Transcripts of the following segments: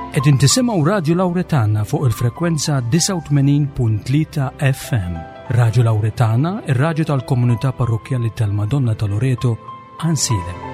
Qegħdin tisimgħu Radju Lawretana fuq il-frekwenza 89.3 FM. Radju Lawretana, ir-radju tal-komunità parrokkjali tal-Madonna ta' Loreto, Ansilem.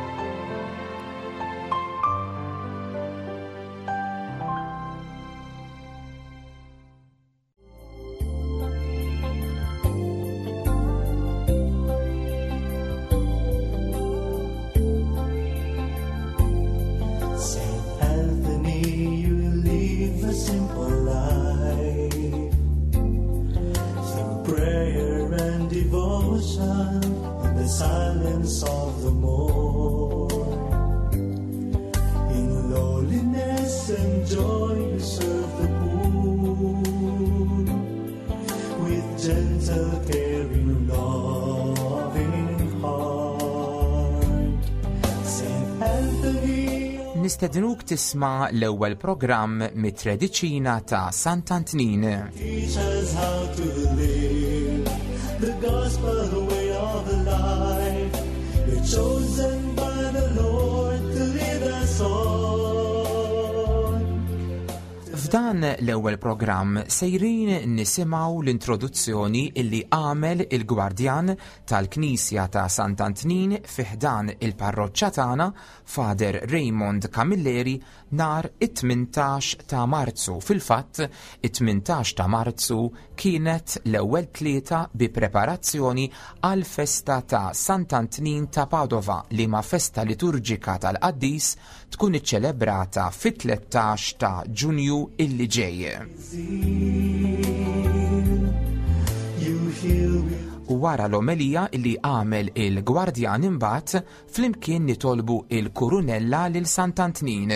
Saint Anthony, you live a simple life. Through prayer and devotion, in the silence of the morn. In lowliness and joy, you serve the poor. With gentle, caring, loving heart. Saint Anthony. Nistednuk tisma' l-ewwel programm mit-Trediċina ta' Sant'Antnin. Teach us how to live the gospel way of life. You're chosen by the Lord to lead us on. F'dan l-ewwel programm sejrin nisimgħu l-introduzzjoni illi għamel il-Gwardjan tal-Knisja ta' Sant'Antnin fi ħdan il-parroċċa tagħna, Father Raymond Camilleri, nhar it-18 ta' Marzu. Fil-fatt, it-18 ta' Marzu kienet l-ewwel tlieta bi preparazzjoni għall-festa ta' Sant'Antnin ta' Padova, liema festa liturġika tal-qaddis tkun iċċelebrata fit-13 ta' Ġunju illi ġej. Wara l-omelija li għamel il-Gwardjan imbagħad flimkien nitolbu il-Kurunella lil Sant'Antnin.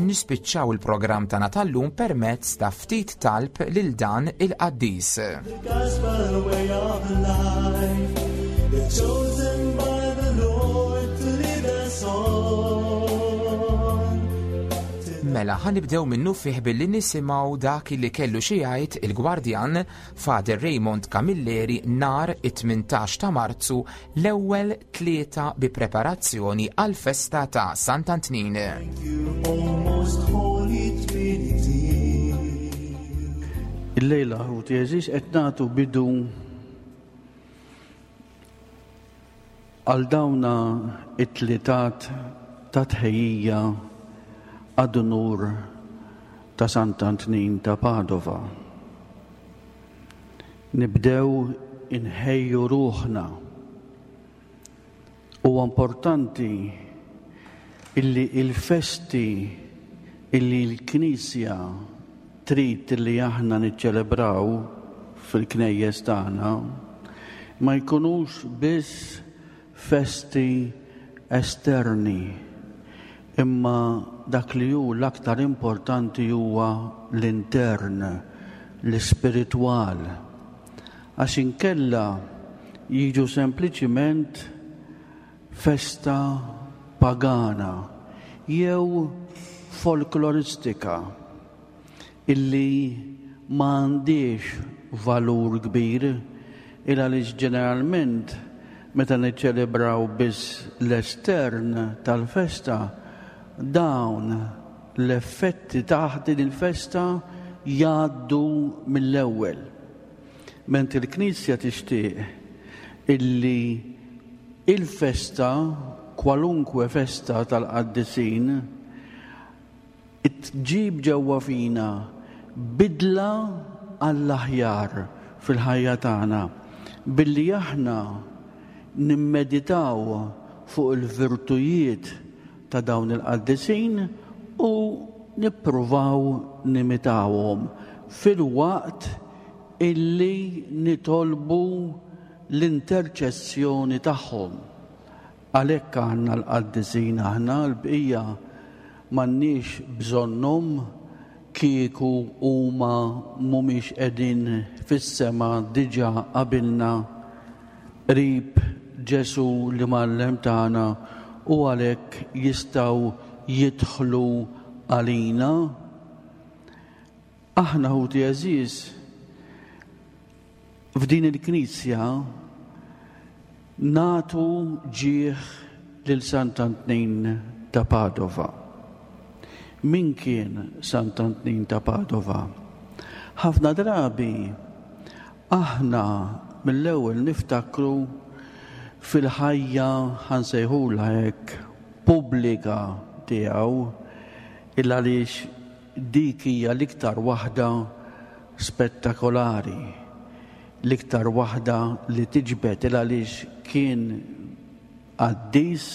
Nispiċċaw il-programm tagħna tal-lum permezz ta' ftit talb lil dan il-qaddis. The gospel way of life. You're chosen by the Lord to lead us on. Mela, ħanibdew minnu fih billi nisimgħu dak li kellu xi jgħid il-Gwardjan Father Raymond Camilleri nhar it-18 ta' Marzu l-ewwel tlieta bi preparazzjoni għall-festa ta' Sant'Antnin. Thank you, O most holy Trinity. Illejla ħuti għeżież qed nagħtu bidu għal dawna it-tlitat ta' tħejjija għad-unur ta' Sant'Antnin ta' Padova. Nibdew inħejju ruħna. Huwa importanti illi il-festi illi l-Knisja trid illi aħna niċċelebraw fil-knejjes tagħna ma jkunux biss festi esterni, imma dak li hu l-aktar importanti huwa l-intern, l-ispiritwal. Għax inkella jiġu sempliċiment festa pagana jew folkloristika illi ma għandhiex valur kbir, il għaliex ġeneralment meta niċċelebraw biss l-estern tal-festa, dawn l-effetti ta' din il-festa jgħaddu mill-ewwel. Mentri l-Knisja tixtieq illi il-festa, kwalunkwe festa tal-qaddisin, tġib ġewwa fina bidla għall-aħjar fil-ħajja tagħna billi aħna nimmeditaw fuq il-virtujiet ta' dawn il-qaddisin u nippruvaw nimitawhom filwaqt illi nitolbu l-interċessjoni tagħhom. Għalhekk għandna l-qaddisin aħna, l-bqija m'għandniex bżonnhom kieku huma mhumiex qegħdin fis-sema diġà qabilna qrib Ġesù l-Imgħallem tagħna u għalhekk jistgħu jidħlu għalina. Aħna ħuti għeżież f'din il-knisja nagħtu ġieħ lil Sant'Antnin ta' Padova. Min kien Sant'Antnin ta' Padova? Ħafna drabi aħna mill-ewwel niftakru fil-ħajja ħa nsejħulha hekk pubblika tiegħu il għaliex dik hija l-iktar waħda spettakolari, l-iktar waħda li tiġbed il għaliex kien qaddis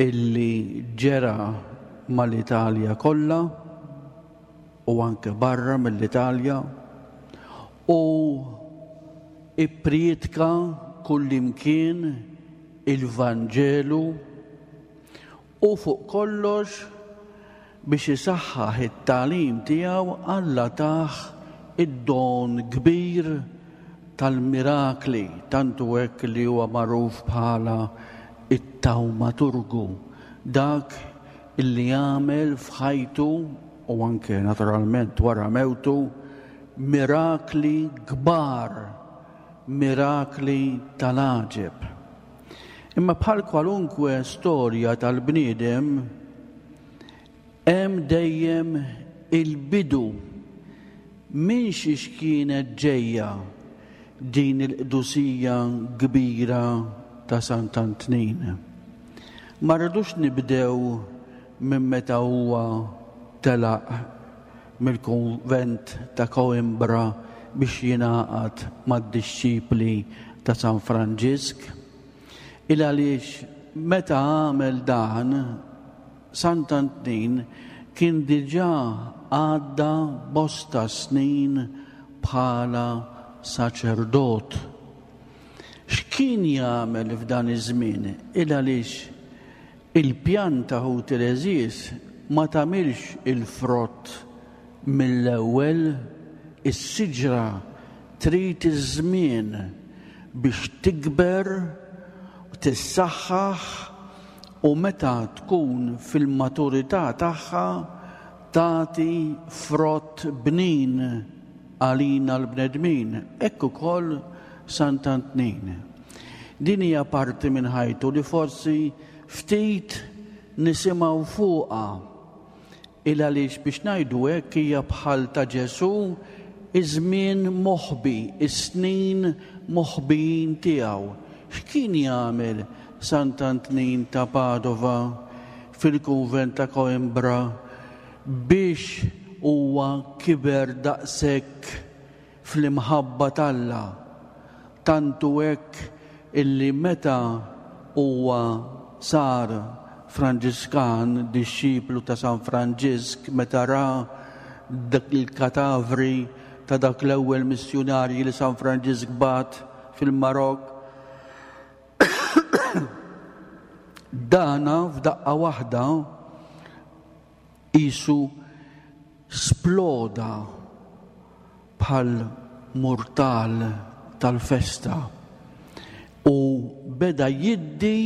illi ġera mal-Italja kollha u anke barra mill-Italja u ipprietka kullimkien il-Vanġelu u fuq kollox biex isaħħaħ it-tagħlim tiegħu Alla tah id-don kbir tal-mirakli, tant hu hekk li huwa magħruf bħala it-tawmaturgu, dak illi għamel f'ħajtu u anke naturalment wara mewtu mirakli kbar, mirakli tal-għaġeb. Imma bħal kwalunkwe storja tal-bniedem, hemm dejjem il-bidu minn xiex kienet ġejja din il-qdusija kbira ta' Sant'Antnin. Ma rridux nibdew minn meta huwa telaq mill-kunvent ta' Coimbra biex jingħaqad mad-dixxipli ta' San Franġisk, il għaliex meta għamel dan, Sant'Antnin kien diġà għadda bosta snin bħala saċerdot. X'kien jagħmel f'dan iż-żmien? Il għaliex Il-pjanta ħuti l-għeżież ma tagħmilx il-frott mill-ewwel, is-siġra trid iż-żmien biex tikber, tissaħħaħ u meta tkun fil-maturità tagħha tagħti frott bnin għalina l-bnedmin. Hekk ukoll Sant'Antnin. Din hija parti minn ħajtu li forsi ftit nisimgħu fuqha. Il għaliex biex ngħidu hekk hija bħal ta' Ġesù iż-żmien moħbi, is-snin moħbijin tiegħu. X'kien jagħmel Sant'Antnin ta' Padova fil-kunvent ta' Coimbra biex huwa kiber daqshekk fl-imħabba t'Alla, tant hu hekk illi meta huwa sar Franġiskan, dixxiplu ta' San Franġisk, meta ra dak il-katavri ta' dak l-ewwel missjunarji li San Franġisk bagħat fil-Marokk, dana f'daqqa waħda Qisu sploda bħal murtal tal-festa u beda jiddi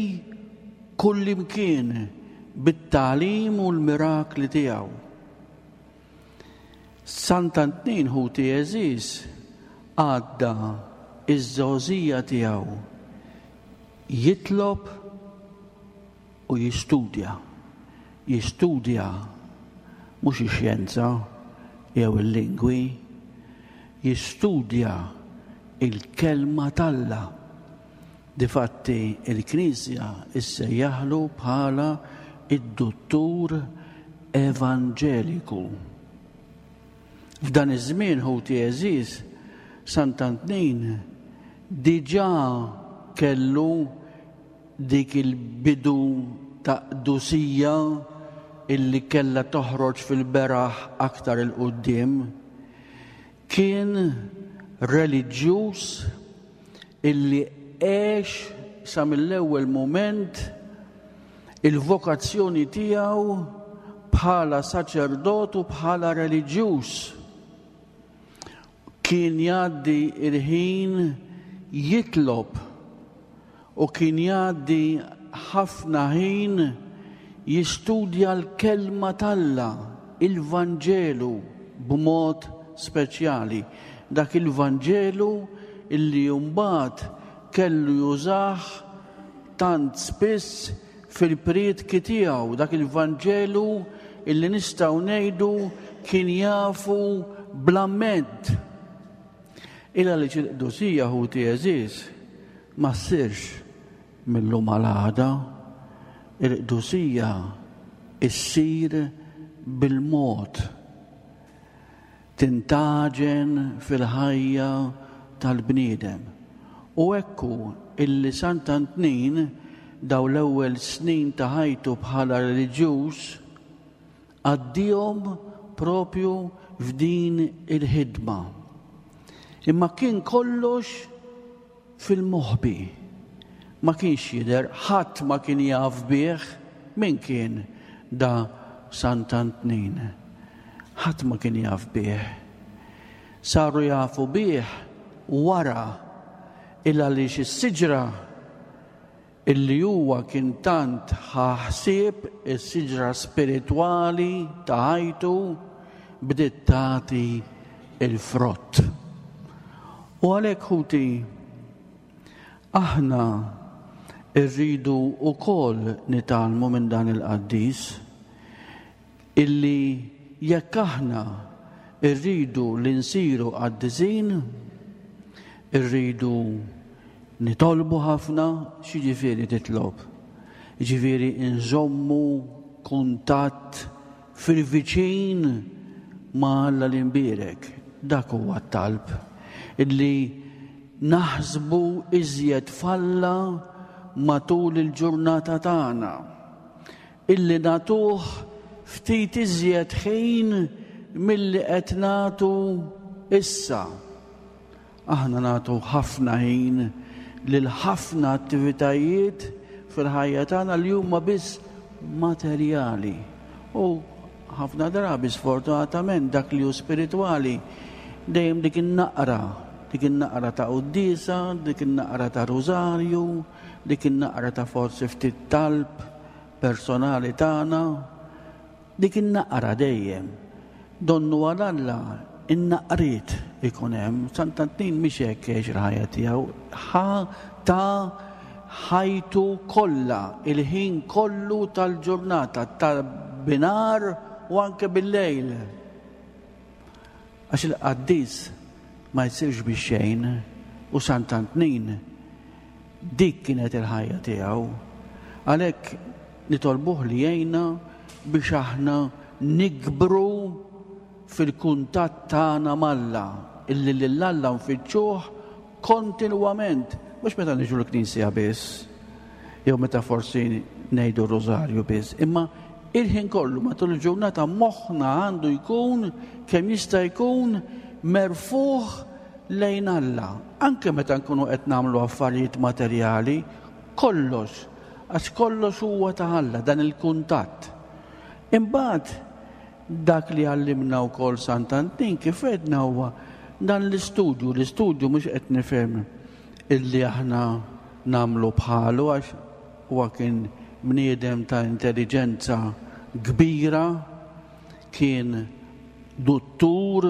kullimkien bit-tagħlim u l-mirakli tiegħu. Sant'Antnin ħuti għeżież għadda iż-żgħożija tiegħu jitlob u jistudja. Jistudja mhux ix-xjenza jew il-lingwi, jistudja il-kelma t'Alla. Difatti il-Knisja issejjaħlu bħala id-duttur evanġeliku. F'dan iż-żmien ħuti għeżież, Sant'Antnin diġà kellu dik il-bidu ta' qdusija illi kellha toħroġ fil-beraħ aktar 'il quddiem, kien reliġjuż illi għex sa mill-ewwel mument il-vokazzjoni tiegħu bħala saċerdot u bħala reliġjuż. Kien jgħaddi l-ħin jitlob u kien jgħaddi ħafna ħin jistudja l-Kelma t'Alla, il-Vanġelu b'mod speċjali. Dak il-Vanġelu illi mbagħad kellu jużah tant spiss fil-prietki tiegħu, dak il-Vanġelu illi nistgħu ngħidu kien jafu bl-amment. Il għaliex il-qdusija ħuti għeżież ma ssirx mil-lum għal għada. Il-qdusija ssir bil-mod. Tintgħaġen fil-ħajja tal-bniedem. U hekk hu illi Sant'Antnin dawn l-ewwel snin ta' ħajtu bħala reliġjuż għaddihom propju f'din il-ħidma. Imma kien kollox fil-moħbi. Ma kienx jidher, ħadd ma kien jaf bih min kien da Sant'Antnin. Ħadd ma kien jaf bih. Saru jafu bih wara il għaliex is-siġra illi huwa kien tant ħa ħsieb is-siġra spiritwali ta' ħajtu bdiet tagħti l-frott. U għalhekk ħuti, aħna rridu wkoll nitgħallmu minn dan il-qaddis illi jekk aħna rridu li nsiru qaddisin, irridu nitolbu ħafna, x'jiġifieri titlob? Jiġifieri nżommu kuntatt fil-viċin ma' Alla l-Imbierek. Dak huwa t-talb. Illi naħsbu iżjed f'Alla matul il-ġurnata tagħna. Illi nagħtuh ftit iżjed ħin milli qed nagħtu issa. Aħna nagħtu ħafna ħin lil ħafna attivitajiet fil-ħajja tagħna li huma biss materjali. U ħafna drabi sfortunatament dak li hu spiritwali dejjem dik in-naqra, dik in-naqra ta' quddiesa, dik in-naqra ta' rużarju, dik in-naqra ta' forsi ftit talb personali tagħna. Dik in-naqra dejjem. Donnu għal Alla in-naqriet ikun hemm. Sant'Antnin mhix hekk għex il-ħajja tiegħu. Ħa ta ħajtu kollha, il-ħin kollu tal-ġurnata, ta' binhar u anke bil-lejl. Għax il-qaddis ma jsirx bix-xejn u Sant'Antnin dik kienet il-ħajja tiegħu. Għalhekk nitolbuh li jgħinna biex aħna nikbru fil-kuntatt tagħna m'Alla, illi lil Alla nfittxuh kontinwament, mhux meta niġu l-knisja biss, jew meta forsi ngħidu r-rużarju biss, imma il-ħin kollu matul il-ġurnata moħħna għandu jkun kemm jista' jkun merfuħ lejn Alla, anke meta nkunu qed nagħmlu affarijiet materjali, kollox, għax kollox huwa ta' Alla dan il-kuntatt. Imbagħad dak li għallimna wkoll Sant'Antin kif għedna huwa dan l-istudju, l-istudju mhux qed nifhem illi aħna nagħmlu bħalu għax huwa kien bniedem ta' intelliġenza kbira, kien duttur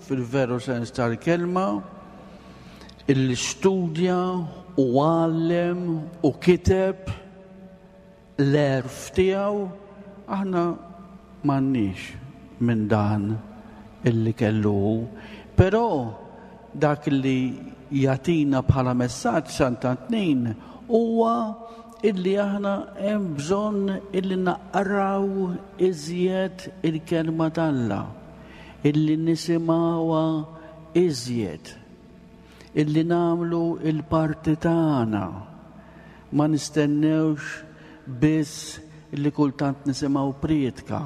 fil-veru sens tal-kelma, illi studja u għallem u kiteb l-għerf tiegħu, aħna m'għandniex minn dan illi kellu hu. Però dak li jagħtina bħala messaġġ Sant'Antnin huwa illi aħna hemm bżonn illi naqraw iżjed il-kelma t'Alla, illi nisimgħuha iżjed, illi nagħmlu l-parti tagħna. Ma nistennewx biss illi kultant nisimgħu prietka,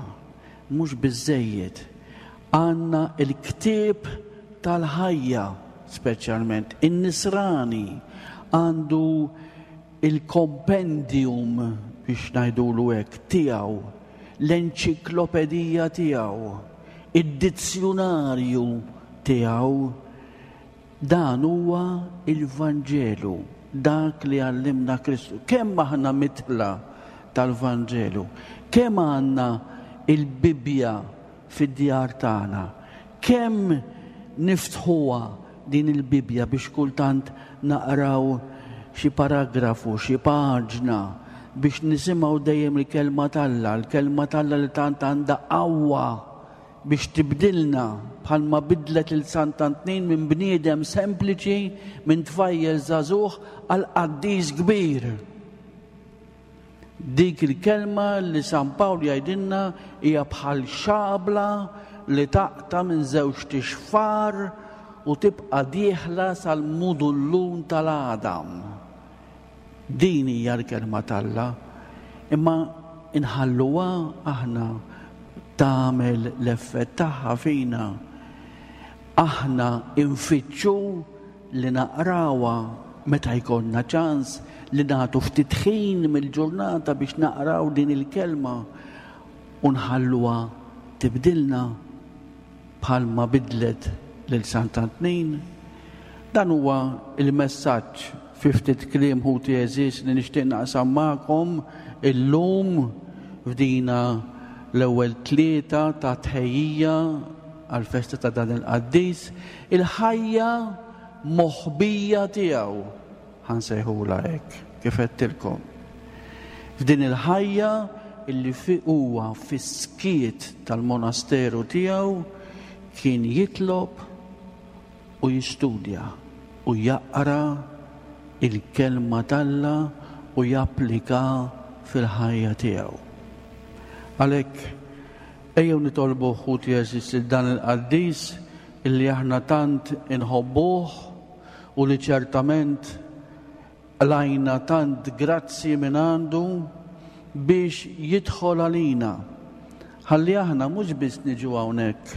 mhux biżżejjed. Għandna l-ktieb tal-ħajja, speċjalment in-nisrani għandu il-kompendium biex ngħidulu hekk tiegħu, l-enċiklopedija tiegħu, id-dizzjunarju tiegħu. Dan huwa l-Vanġelu, dak li għallimna Kristu. Kemm aħna mitla tal-Vanġelu, kemm għandna il-Bibbja fid-djar tagħna, kemm niftħuha din il-Bibbja biex kultant naqraw xi paragrafu, xi paġna. biex nisimgħu dejjem il-kelma t'Alla, l-kelma t'Alla li tant għandha qawwa biex tibdilna bħalma bidlet lil Sant'Antnin minn bniedem sempliċi, minn tfajjel żagħżugħ għal qaddis kbir. Dik il-kelma li San Pawl jgħidilna hija bħal xabla li taqta' minn żewġt ixfar u tibqa' dieħla sal-mudullun tal-għadam. Din hija l-kelma t'Alla, imma nħalluha aħna tagħmel l-effett tagħha fina. Aħna nfittxu li naqrawha meta jkollna ċans li nagħtu ftit ħin mill-ġurnata biex naqraw din il-kelma u nħalluha tibdilna. bħalma bidlet lil Sant'Antnin. Dan huwa l-messaġġ fi ftit kliem ħuti għeżież li nixtieq naqsam magħkom illum f'dina l-ewwel tlieta ta' tħejjija għall-festa ta' dan il-qaddis, il-ħajja moħbija tiegħu. Ħa nsejħulha hekk, kif għedtilkom. F'din il-ħajja illi fi huwa fis-skiet tal-monasteru tiegħu kien jitlob u jistudja u jaqra il-kelma t'Alla u japplika fil-ħajja tiegħu. Għalhekk ejjew nitolbu ħuti għeżież lil dan il-qaddis illi aħna tant inħobbuh u li ċertament qlajna tant grazzji minn għandu biex jidħol għalina ħalli aħna mhux biss niġu hawnhekk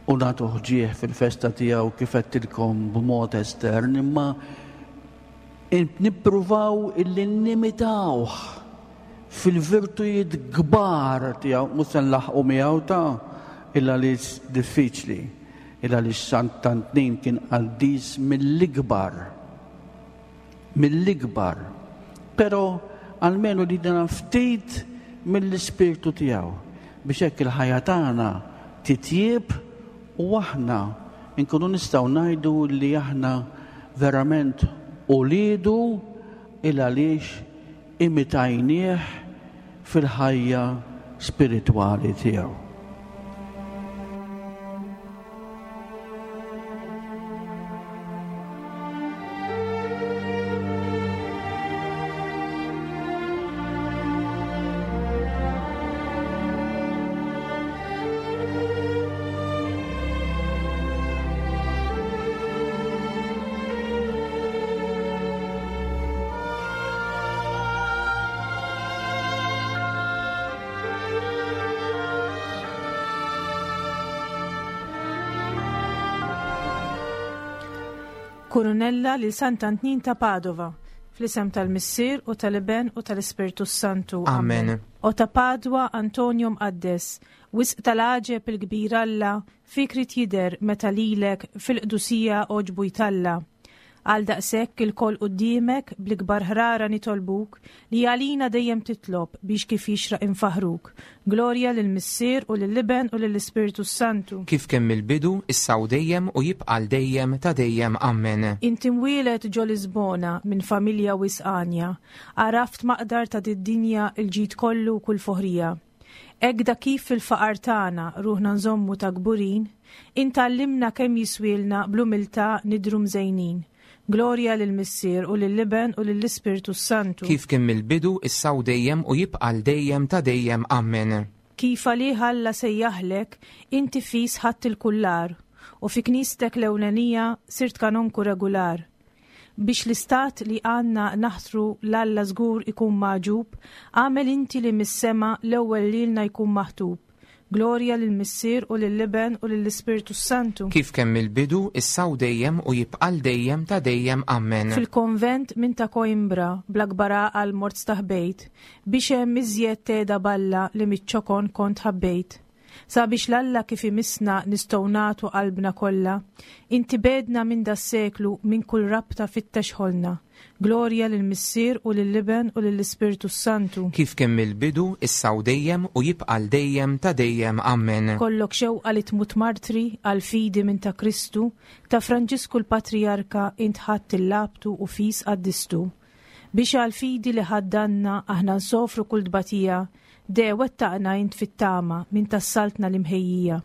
u nagħtuh ġieħ fil-festa tiegħu kif għedtilkom b'mod estern imma nippruvaw illi nimitawh fil-virtujiet kbar tiegħu mhux se nlaħħqu miegħu ta' illa li diffiċli. Il għaliex Sant'Antnin kien qaddis mill-ikbar. Mill-ikbar. Però almenu li dana ftit mill-ispirtu tiegħu biex hekk il-ħajja tagħna titjieb u aħna nkunu nistgħu ngħidu li aħna verament uliedu il għaliex imitajnieh fil-ħajja spiritwali tiegħu. Kurunella lil Sant'Antnin ta' Padova, fl-isem tal-Missier u tal-Iben u tal-Ispirtu Santu. Amen. O ta' Padwa Antonio Mqaddes, wisq tal-għaġeb il-kbir Alla, fik rid jidher meta lilek fil-qdusija għoġbu jtalla. Għaldaqshekk ilkoll quddiemek bl-ikbar ħrara nitolbuk li għalina dejjem titlob biex kif jixraq infaħħruk. Glorja lill-Missier u lill-Iben u lill-Ispirtu s-Santu. Kif kien mill-bidu, issa u dejjem u jibqa' għal dejjem ta' dejjem. Ammen. Inti mwieled ġo Lisbona minn familja wisq għanja, għaraft maqdar ta' did-dinja l-ġid kollu u kull foħrija. Hekk da kif fil-faqar tagħna ruħna nżommu ta' kburin, int għallimna kemm jiswielna bl-umiltà nidhru mżejnin. Glorja lill-Missier u lill-Iben u lill-Ispirtu s-Santu. Kif kien mill-bidu, issa u dejjem u jibqa' għal dejjem ta' dejjem. Ammen. Kif għalih Alla sejjaħlek, inti fis ħadt il-kullar, u fi knistek l-ewlenija sirt kanonku regular. Biex l-istat li għandna naħtru 'l Alla żgur ikun magħġub, agħmel inti li mis-sema l-ewwel lilna jkun maħtub. Glorja lill-Missier u lill-Iben u lill-Ispirtu s-Santu. Kif kien mill-bidu, issa u dejjem u jibqa' għal dejjem ta' dejjem. Ammen. Fil-konvent minn ta' Coimbra, bl-akbar għaqal mort staħbejt, biex hemm iżjed tgħeda b'Alla li miċ-ċokon kont ħabbejt. Sabiex 'l Alla kif imissna nistgħu nagħtu qalbna kollha, inti begħdna minn das-seklu minn kull rabta fittex ħolna. Glorja lill-Missier u lill-Iben u lill-Ispirtu s-Santu. Kif kien mill-bidu, issa u dejjem, u jibqa' għal dejjem ta' dejjem. Ammen. Kollok xewqa li tmut martri għall-fidi minn ta' Kristu, ta' Franġisku l-Patrijarka int ħadt il-labtu u fis qaddistu. Biex għall-fidi li ħaddanna aħna nsofru kull tbatija, de wettaqna int fit-tama minn tas-saltna l-imħejjija.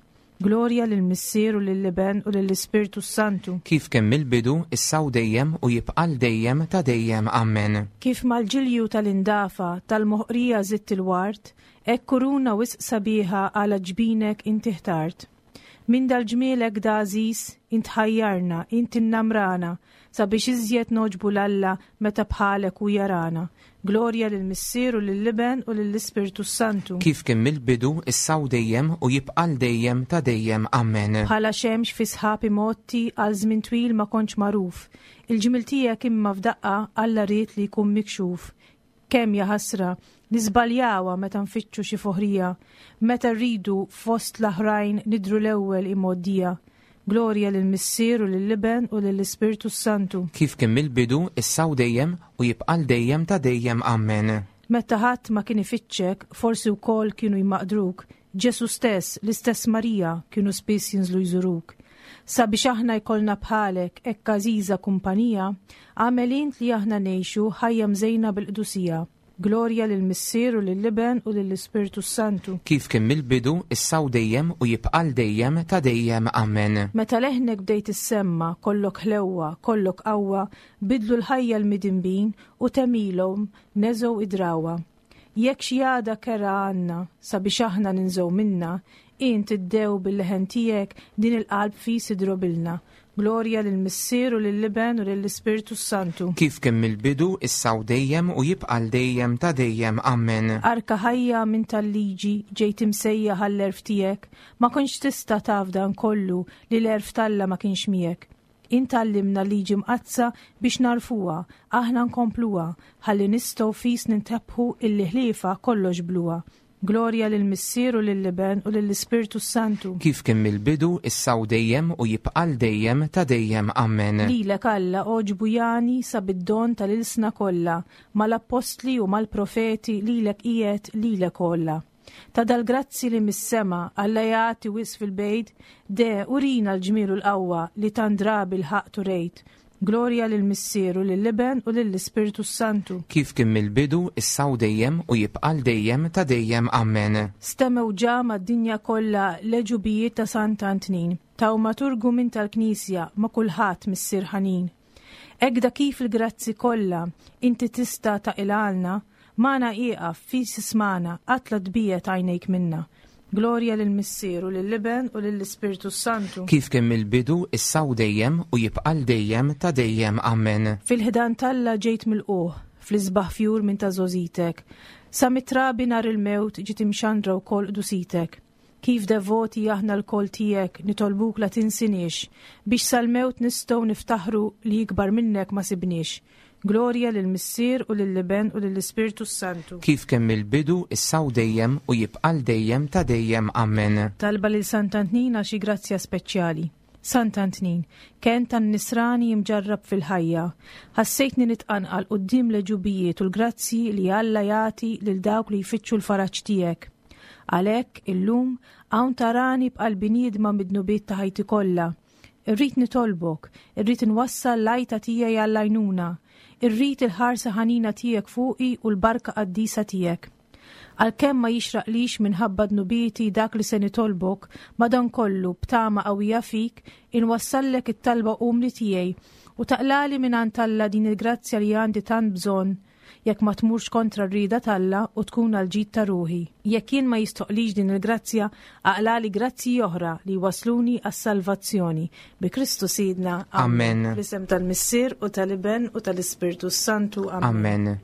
Glorja lill-Missier u lill-Iben u lill-Ispirtu s-Santu. Kif kien mill-bidu, issa u dejjem u jibqa' għal dejjem ta' dejjem. Ammen. Kif mal-ġilju tal-indafa, tal-moħqrija żidt il-ward, hekk kuruna wisq sabiħa għala ġbinek inti ħtart. Minn dal-ġmiel hekk da għażiż, int ħajjarna, int innamrana, sabiex iżjed nogħġbu 'l Alla meta bħalek hu jarana. Glorja lill-Missier u lill-Iben u lill-Ispirtu s-Santu. Kif kien mill-bidu, issa u dejjem, u jibqa' għal dejjem ta' dejjem. Ammen. Bħala xemx fi sħab imgħotti għal żmien twil ma kontx magħruf. Il-ġmiel tiegħek imma f'daqqa Alla ried li jkun mikxuf. Kemm, jaħasra, niżbaljawha meta nfittxu xi foħrija, meta rridu fost l-aħrajn nidhru l-ewwel imgħoddija. Glorja lill-Missier u lill-Iben u lill-Ispirtu s-Santu. Kif kien mill-bidu, issa u dejjem, u jibqa' għal dejjem ta' dejjem. Ammen. Meta ħadd ma kien ifittxek, forsi wkoll kienu jmaqdruk, Ġesù stess, l-istess Marija, kienu spiss jinżlu jżuruk. Sabiex aħna jkollna bħalek hekk għażiża kumpanija, agħmel int li aħna ngħixu ħajja mżejna bil-qdusija. Glorja lill-Missier u lill-Iben u lill-Ispirtu s-Santu. Kif kien mill-bidu, issa u dejjem, u jibqa' għal dejjem ta' dejjem. Ammen. Meta leħnek bdejt issemma', kollok ħlewwa, kollok qawwa, bidlu l-ħajja l-midinbin u t'għemilhom neżgħu id-drawwa. Jekk xi għada kerha għandna sabiex aħna ninżgħu minnha, int iddew bil-leħen tiegħek din il-qalb fis idrobilna. Glorja lill-Missier u lill-Iben u lill-Ispirtu s-Santu. Kif kien mill-bidu, issa u dejjem, u jibqa' għal dejjem ta' dejjem. Ammen. Arka ħajja minn tal-liġi ġejt imsejjaħ għall-għerf tiegħek, ma kontx tista' taf dan kollu li l-għerf t'Alla ma kienx miegħek. Int għallimna l-Liġi Mqaddsa biex nagħrfuha, aħna nkompluha, ħalli nistgħu fis nintebħu illi ħliefha kollox bluha. Glorja lill-Missier u lill-Iben u lill-Ispirtu s-Santu. Kif kien mill-bidu, issa u dejjem, u jibqa' għal dejjem ta' dejjem. Ammen. Lilek Alla għoġbu jagħni sa bid-don tal-ilsna kollha, mal-appostli u mal-profeti lilek qiegħed lilek għolla. Ta' dal-grazzi li mis-sema Alla jagħti wisq fil-bejt, de, urina l-ġmiel u l-qawwa li tant drabi l-ħaqq turejt. Glorja lill-Missier u lill-Iben u lill-Ispirtu s-Santu. Kif kien mill-bidu, issa u dejjem, u jibqa' għal dejjem ta' dejjem. Ammen. Stemmew ġa mad-dinja kollha l-għeġubijiet ta' Sant'Antnin, tawmaturgu minn tal-Knisja ma' kulħadd Missier ħanin. Hekk da kif il-grazzi kollha inti tista' taqilgħalna, magħna ieqaf, fis ismagħna, qatt la tbiegħed għajnejk minna. Glorja lill-Missier u lill-Iben u lill-Ispirtu s-Santu. Kif kien mill-bidu, issa u dejjem, u jibqa' għal dejjem ta' dejjem. Ammen. Fil-ħdan t'Alla ġejt milqugħ, fl-isbaħ fjur minn ta' żgħożitek. Sa mit-trabi nhar il-mewt ġiet imxandra wkoll qdusitek. Kif devoti aħna lkoll tiegħek nitolbuk la tinsiniex, biex sal-mewt nistgħu niftaħru li ikbar minnek ma sibniex. Glorja lill-Missier u lill-Iben u lill-Ispirtu s-Santu. Kif kien mill-bidu, issa u dejjem, u jibqa' għal dejjem ta' dejjem. Ammen. Talba lil Sant'Antnin għal xi grazzja speċjali. Sant'Antnin, kenn tan-nisrani imġarrab fil-ħajja, ħassejtni nitqanqal quddiem l-għeġubijiet u l-grazzji li Alla jagħti lil dawk li jfittxu l-faraġ tiegħek. Għalhekk, illum, hawn tarani b'qalbi niedma mid-dnubiet ta' ħajti kollha. Irrid nitolbok, irrid inwassal l-għajta tiegħi għall-għajnuna, irrid il-ħarsa ħanina tiegħek fuqi u l-barka qaddisa tiegħek. Għalkemm ma jixraqlix minħabba dnubieti dak li se nitolbok, madankollu, b'tama qawwija fik, inwassallek it-talba umli tiegħi, u taqlagħli mingħand Alla din il-grazzja li għandi tant bżonn, jekk ma tmurx kontra r-rieda t'Alla u tkun għall-ġid ta' ruħi. Jekk jien ma jistoqlix din il-grazzja, aqlagħli grazzji oħra li jwassluni għas-salvazzjoni. Bi Kristu Sidna. Ammen. Fl-isem tal-Missier u tal-Iben u tal-Ispirtu s-Santu. Ammen.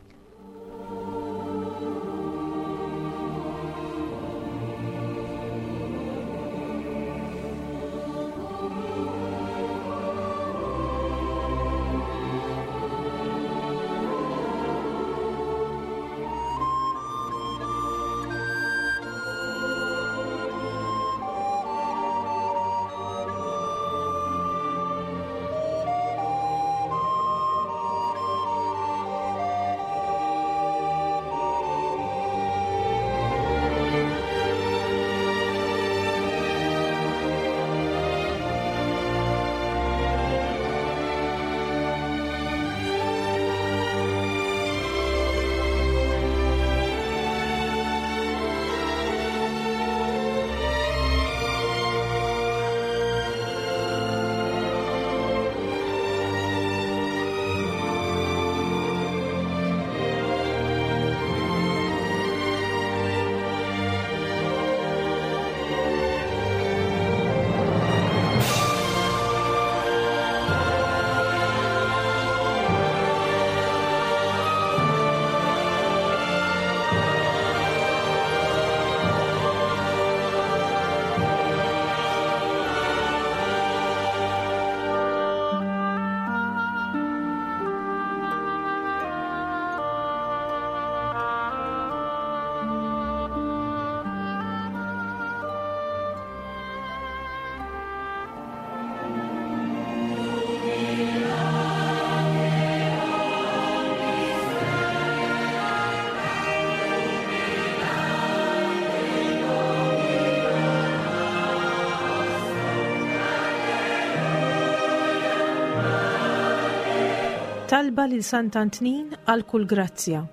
Talba lil Sant'Antnin għal kull grazzja.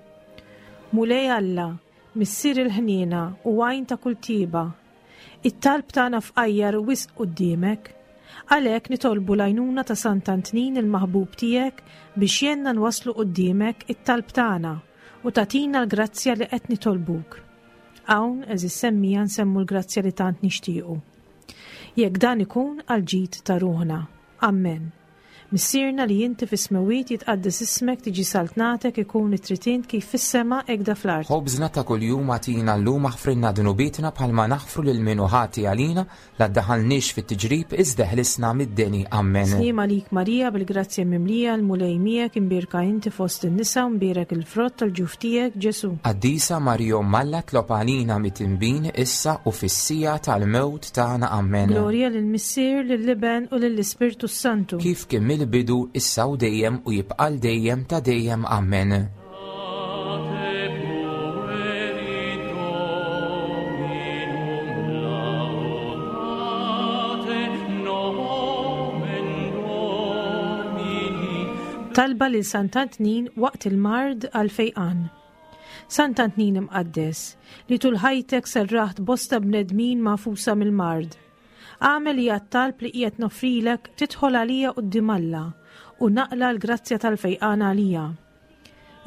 Mulej Alla, Missier il-ħniena u għajn ta' kull tjieba, it-talb tagħna fqajjar wisq quddiemek. Għalhekk nitolbu l-għajnuna ta' Sant'Antnin il-maħbub tiegħek biex jgħinna nwasslu quddiemek it-talb tagħna u tagħtina l-grazzja li qed nitolbuk. Hawn, għeżież semmiegħa nsemmu l-grazzja li tant nixtiequ. Jekk dan ikun għall-ġid ta' ruħna. Ammen. Missierna li inti fis-smewwiet jitqaddes ismek tiġi saltnatek ikun it-trid int kif fis-sema hekk da fl-art. Ħobżna ta' kuljum agħtina llum aħfrilna dnubietna bħalma naħfru lil min hu ħati għalina La ddaħħalniex fit-tiġrib, iżda eħlisna mid-deni. Ammen. Sliem għalik Marija, bil-grazzja mimlija, l-Mulej miegħek, imbierka inti fost in-nisa u mbierek il-frott tal-ġuf tiegħek, Ġesù. Qaddisa Marija Omm Alla tlob għalina mitinbin issa u fis-siegħa tal-mewt tagħna. Ammen. Glorja lill-Missier, lill-Iben u lill-Ispirtu s-Santu. Kif kien mill-bidu, issa u dejjem u jibqa' għal dejjem ta' dejjem. Ammen. Talba lil Sant'Antnin waqt il-mard għal fejqan. Sant'Antnin imqaddes, li tul ħajtek serraħt bosta bnedmin magħfusa mill-mard. Agħmel li għat-talb li qiegħed noffrilek tidħol għalija quddiem Alla u naqla' l-grazzja tal-fejqan għalija.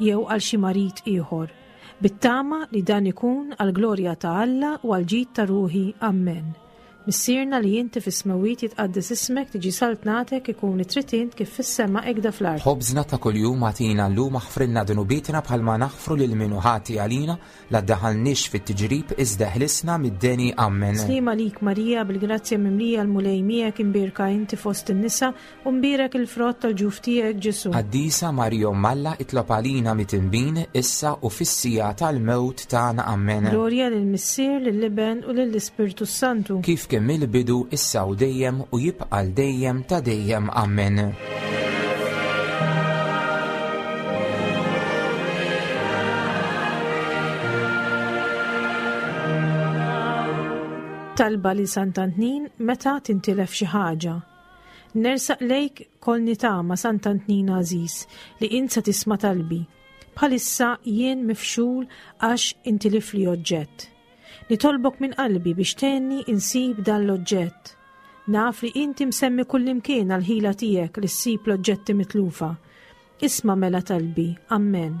Jew għal xi marid ieħor, bit-tama li dan ikun għall-glorja ta' Alla u għall-ġid ta' ruħi. Ammen. Missierna li inti fis-smewwiet jitqaddes ismek tiġi saltnatek ikun li trid int kif fis-sema hekk da fl-art. Ħobżna ta' kuljum agħtina llum aħfrilna dnubietna bħalma naħfru lil min hu ħati għalina La ddaħħalniex fit-tiġrib iżda eħlisna mid-deni. Ammen. Sliem għalik Marija, bil-grazzja mimlija l-Mulej miegħek, imbierka inti fost in-nisa, u mbierek il-frott tal-ġuf tiegħek Ġesù. Qaddisa Marija Omm Alla itlob għalina mitinbin, issa u fis-siegħa tal-mewt tagħna. Ammen. Glorja lill-Missier, lill-Iben u lill-Ispirtu s-Santu. Kif kien mill-bidu, issa u dejjem, u jibqa' għal dejjem ta' dejjem. Ammen. Talba lil Sant'Antnin meta tintilef xi ħaġa. Nersaq lejk kolni tama Sant'Antnin għażiż li int se tisma' talbi. Bħalissa jien mifxul għax intilifli oġġett. Nitolbok minn qalbi biex tgħinni insib dan l-oġġett. Naf li inti msemmi kullimkien għall-ħila tiegħek li ssib l-oġġetti mitlufa. Isma' mela talbi. Ammen.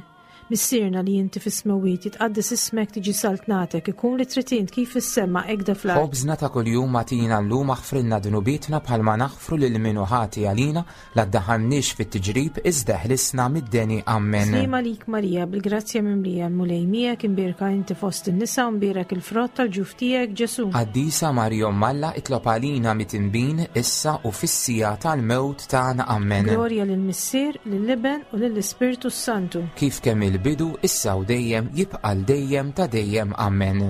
Missierna li inti fis-smewwiet, jitqaddes ismek, tiġi saltnatek, ikun li trid int kif fis-sema hekk da fl-art. Ħobżna ta' kuljum agħtina llum aħfrilna dnubietna bħalma naħfru lil min hu ħati għalina, La ddaħħalniex fit-tiġrib, iżda eħlisna mid-deni. Ammen. Sliem għalik Marija, bil-grazzja mimlija, l-Mulej miegħek, imbierka inti fost in-nisa u mbierek il-frott tal-ġuf tiegħek, Ġesù. Qaddisa Marija Omm Alla, itlob għalina mitinbin, issa u fis-siegħa tal-mewt tagħna. Ammen. Glorja lill-Missier, lill-Iben u lill-Ispirtu s-Santu. Kif kemm il-bidu, issa u dejjem, jibqa' għal dejjem ta' dejjem. Ammen.